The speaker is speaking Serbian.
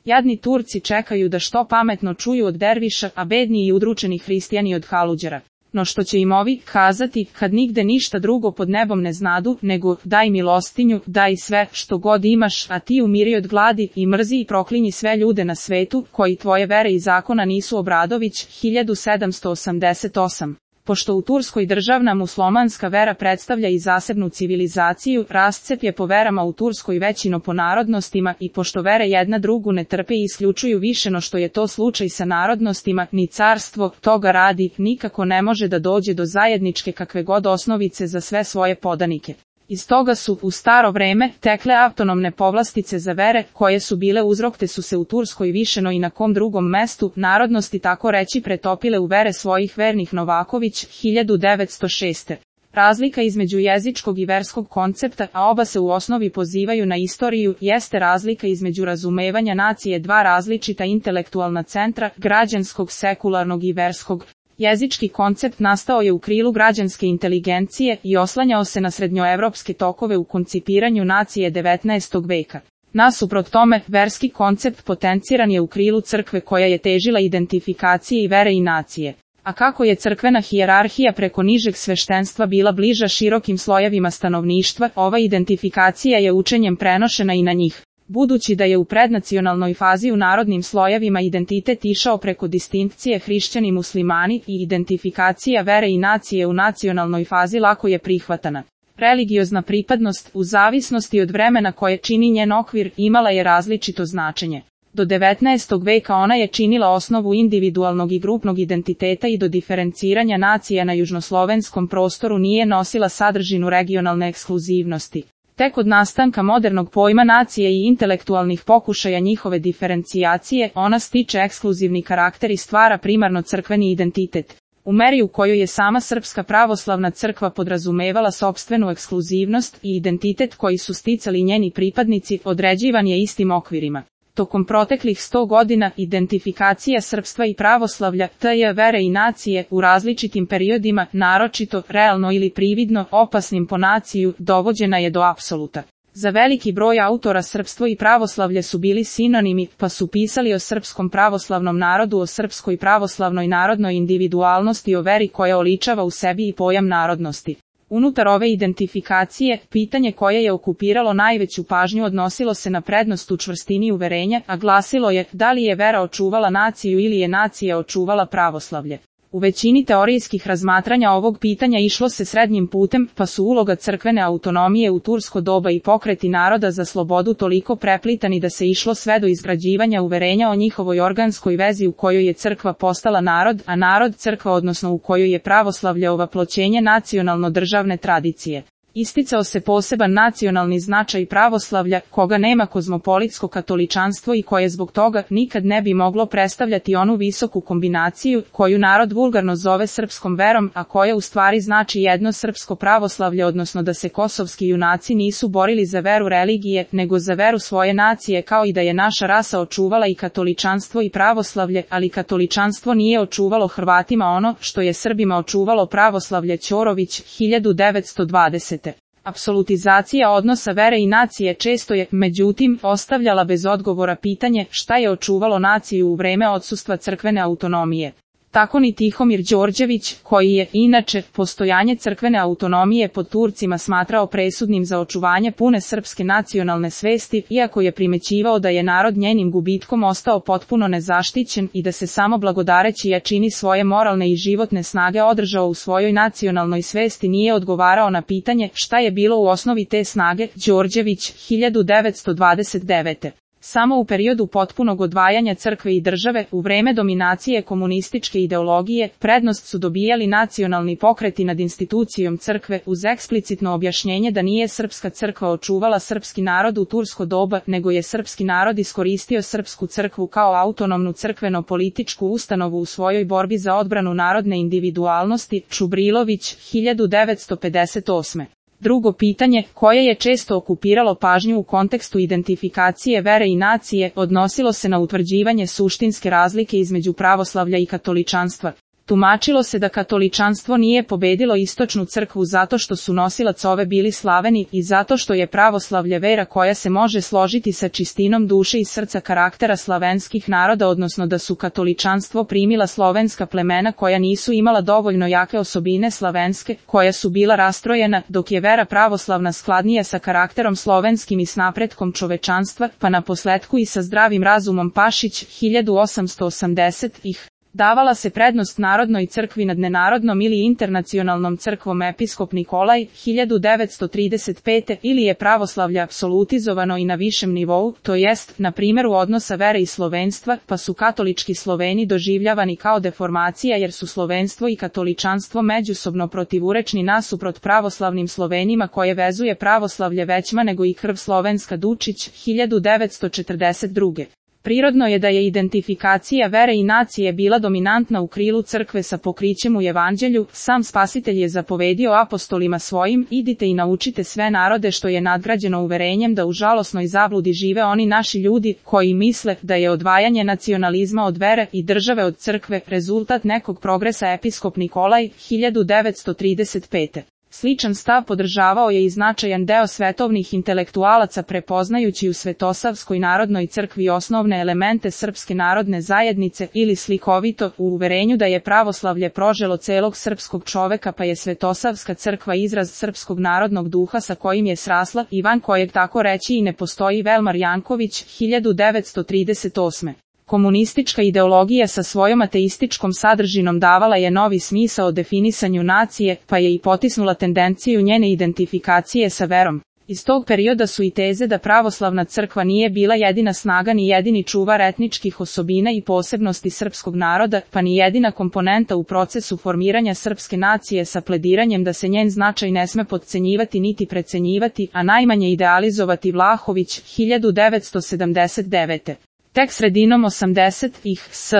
Jadni Turci čekaju da što pametno čuju od derviša, a bedni i udručeni hristijani od haluđera. No što će im ovi kazati, kad nigde ništa drugo pod nebom ne znadu, nego daj milostinju, daj sve što god imaš, a ti umiri od gladi i mrzi i proklinji sve ljude na svetu, koji tvoje vere i zakona nisu. Obradović, 1788. Pošto u Turskoj državna muslimanska vera predstavlja i zasebnu civilizaciju, rascep je po verama u Turskoj većino po narodnostima i pošto vere jedna drugu ne trpe i isključuju više no što je to slučaj sa narodnostima, ni carstvo, toga radi, nikako ne može da dođe do zajedničke kakve god osnovice za sve svoje podanike. Iz toga su, u staro vreme, tekle autonomne povlastice za vere, koje su bile uzrok te su se u Turskoj više no i na kom drugom mestu, narodnosti tako reći pretopile u vere svojih vernih. Novaković, 1906. Razlika između jezičkog i verskog koncepta, a oba se u osnovi pozivaju na istoriju, jeste razlika između razumevanja nacije dva različita intelektualna centra, građanskog, sekularnog i verskog. Jezički koncept nastao je u krilu građanske inteligencije i oslanjao se na srednjoevropske tokove u koncipiranju nacije 19. veka. Nasuprot tome, verski koncept potenciran je u krilu crkve koja je težila identifikaciji i vere i nacije. A kako je crkvena hijerarhija preko nižeg sveštenstva bila bliža širokim slojevima stanovništva, ova identifikacija je učenjem prenošena i na njih. Budući da je u prednacionalnoj fazi u narodnim slojevima identitet išao preko distinkcije hrišćani muslimani i identifikacija vere i nacije u nacionalnoj fazi lako je prihvatana. Religiozna pripadnost, u zavisnosti od vremena koje čini njen okvir, imala je različito značenje. Do 19. veka ona je činila osnovu individualnog i grupnog identiteta i do diferenciranja nacija na južnoslovenskom prostoru nije nosila sadržinu regionalne ekskluzivnosti. Tek od nastanka modernog pojma nacije i intelektualnih pokušaja njihove diferencijacije, ona stiče ekskluzivni karakter i stvara primarno crkveni identitet. U meri u kojoj je sama Srpska pravoslavna crkva podrazumevala sopstvenu ekskluzivnost i identitet koji su sticali njeni pripadnici, određivan je istim okvirima. Tokom proteklih 100 godina identifikacija srpstva i pravoslavlja, t.j. vere i nacije, u različitim periodima, naročito, realno ili prividno, opasnim po naciju, dovođena je do apsoluta. Za veliki broj autora srpstvo i pravoslavlje su bili sinonimi, pa su pisali o srpskom pravoslavnom narodu, o srpskoj pravoslavnoj narodnoj individualnosti, o veri koja oličava u sebi i pojam narodnosti. Unutar ove identifikacije, pitanje koje je okupiralo najveću pažnju odnosilo se na prednost u čvrstini uverenja, a glasilo je da li je vera očuvala naciju ili je nacija očuvala pravoslavlje. U većini teorijskih razmatranja ovog pitanja išlo se srednjim putem, pa su uloga crkvene autonomije u tursko doba i pokreti naroda za slobodu toliko preplitani da se išlo sve do izgrađivanja uverenja o njihovoj organskoj vezi u kojoj je crkva postala narod, a narod crkva, odnosno u kojoj je pravoslavlje ovaploćenje nacionalno-državne tradicije. Isticao se poseban nacionalni značaj pravoslavlja, koga nema kozmopolitsko katoličanstvo i koje zbog toga nikad ne bi moglo predstavljati onu visoku kombinaciju, koju narod vulgarno zove srpskom verom, a koja u stvari znači jedno srpsko pravoslavlje, odnosno da se kosovski junaci nisu borili za veru religije, nego za veru svoje nacije, kao i da je naša rasa očuvala i katoličanstvo i pravoslavlje, ali katoličanstvo nije očuvalo Hrvatima ono što je Srbima očuvalo pravoslavlje. Ćorović, 1920. Apsolutizacija odnosa vere i nacije često je, međutim, ostavljala bez odgovora pitanje šta je očuvalo naciju u vreme odsustva crkvene autonomije. Tako ni Tihomir Đorđević, koji je, inače, postojanje crkvene autonomije pod Turcima smatrao presudnim za očuvanje pune srpske nacionalne svesti, iako je primećivao da je narod njenim gubitkom ostao potpuno nezaštićen i da se samo blagodareći jačini svoje moralne i životne snage održao u svojoj nacionalnoj svesti, nije odgovarao na pitanje šta je bilo u osnovi te snage. Đorđević, 1929. Samo u periodu potpunog odvajanja crkve i države, u vreme dominacije komunističke ideologije, prednost su dobijali nacionalni pokreti nad institucijom crkve, uz eksplicitno objašnjenje da nije srpska crkva očuvala srpski narod u tursko doba, nego je srpski narod iskoristio srpsku crkvu kao autonomnu crkveno-političku ustanovu u svojoj borbi za odbranu narodne individualnosti. Čubrilović, 1958. Drugo pitanje, koje je često okupiralo pažnju u kontekstu identifikacije vere i nacije, odnosilo se na utvrđivanje suštinske razlike između pravoslavlja i katoličanstva. Tumačilo se da katoličanstvo nije pobedilo istočnu crkvu zato što su nosilac ove bili Slaveni i zato što je pravoslavlje vera koja se može složiti sa čistinom duše i srca karaktera slavenskih naroda, odnosno da su katoličanstvo primila slovenska plemena koja nisu imala dovoljno jake osobine slavenske, koja su bila rastrojena, dok je vera pravoslavna skladnija sa karakterom slovenskim i s napretkom čovečanstva, pa naposletku i sa zdravim razumom. Pašić, 1880-ih. Davala se prednost narodnoj crkvi nad nenarodnom ili internacionalnom crkvom. Episkop Nikolaj, 1935. Ili je pravoslavlje apsolutizovano i na višem nivou, to jest, na primjeru odnosa vere i slovenstva, pa su katolički Sloveni doživljavani kao deformacija jer su slovenstvo i katoličanstvo međusobno protivurečni nasuprot pravoslavnim Slovenima koje vezuje pravoslavlje većma nego i krv slovenska. Dučić, 1942. Prirodno je da je identifikacija vere i nacije bila dominantna u krilu crkve sa pokrićem u evanđelju. Sam Spasitelj je zapovedio apostolima svojim: idite i naučite sve narode, što je nadgrađeno uverenjem da u žalosnoj zabludi žive oni naši ljudi koji misle da je odvajanje nacionalizma od vere i države od crkve rezultat nekog progresa. Episkop Nikolaj, 1935. Sličan stav podržavao je i značajan deo svetovnih intelektualaca, prepoznajući u Svetosavskoj narodnoj crkvi osnovne elemente srpske narodne zajednice, ili slikovito, u uverenju da je pravoslavlje proželo celog srpskog čoveka, pa je Svetosavska crkva izraz srpskog narodnog duha sa kojim je srasla i van kojeg tako reći i ne postoji. Velmar Janković, 1938. Komunistička ideologija sa svojom ateističkom sadržinom davala je novi smisao definisanju nacije, pa je i potisnula tendenciju njene identifikacije sa verom. Iz tog perioda su i teze da pravoslavna crkva nije bila jedina snaga ni jedini čuvar etničkih osobina i posebnosti srpskog naroda, pa ni jedina komponenta u procesu formiranja srpske nacije, sa plediranjem da se njen značaj ne sme potcenjivati niti precenjivati, a najmanje idealizovati. Vlahović, 1979. Tek sredinom 80-ih s.